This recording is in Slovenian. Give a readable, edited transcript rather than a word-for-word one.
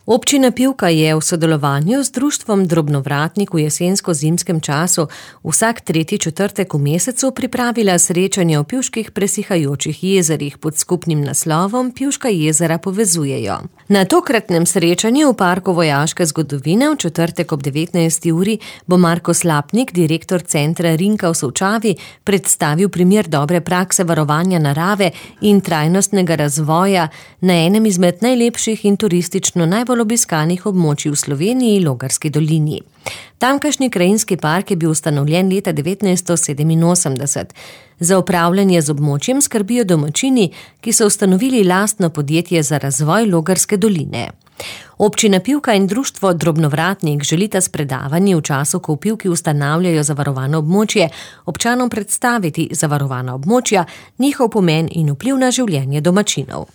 Občina Pivka je v sodelovanju z društvom Drobnovratnik v jesensko-zimskem času vsak tretji četrtek v mesecu pripravila srečanje o pivških presihajočih jezerih pod skupnim naslovom Pivška jezera povezujejo. Na tokratnem srečanju v Parku vojaške zgodovine v četrtek ob 19. uri bo Marko Slapnik, direktor centra Rinka v Solčavi, predstavil primer dobre prakse varovanja narave in trajnostnega razvoja na enem izmed najlepših in turistično najbolj obiskanih območij v Sloveniji, Logarski dolini. Tamkajšnji krajinski park je bil ustanovljen leta 1987. Za upravljanje z območjem skrbijo domačini, ki so ustanovili lastno podjetje za razvoj Logarske doline. Občina Pivka in društvo Drobnovratnik želita s predavanji v času, ko v Pivki ustanavljajo zavarovano območje, občanom predstaviti zavarovana območja, njihov pomen in vpliv na življenje domačinov.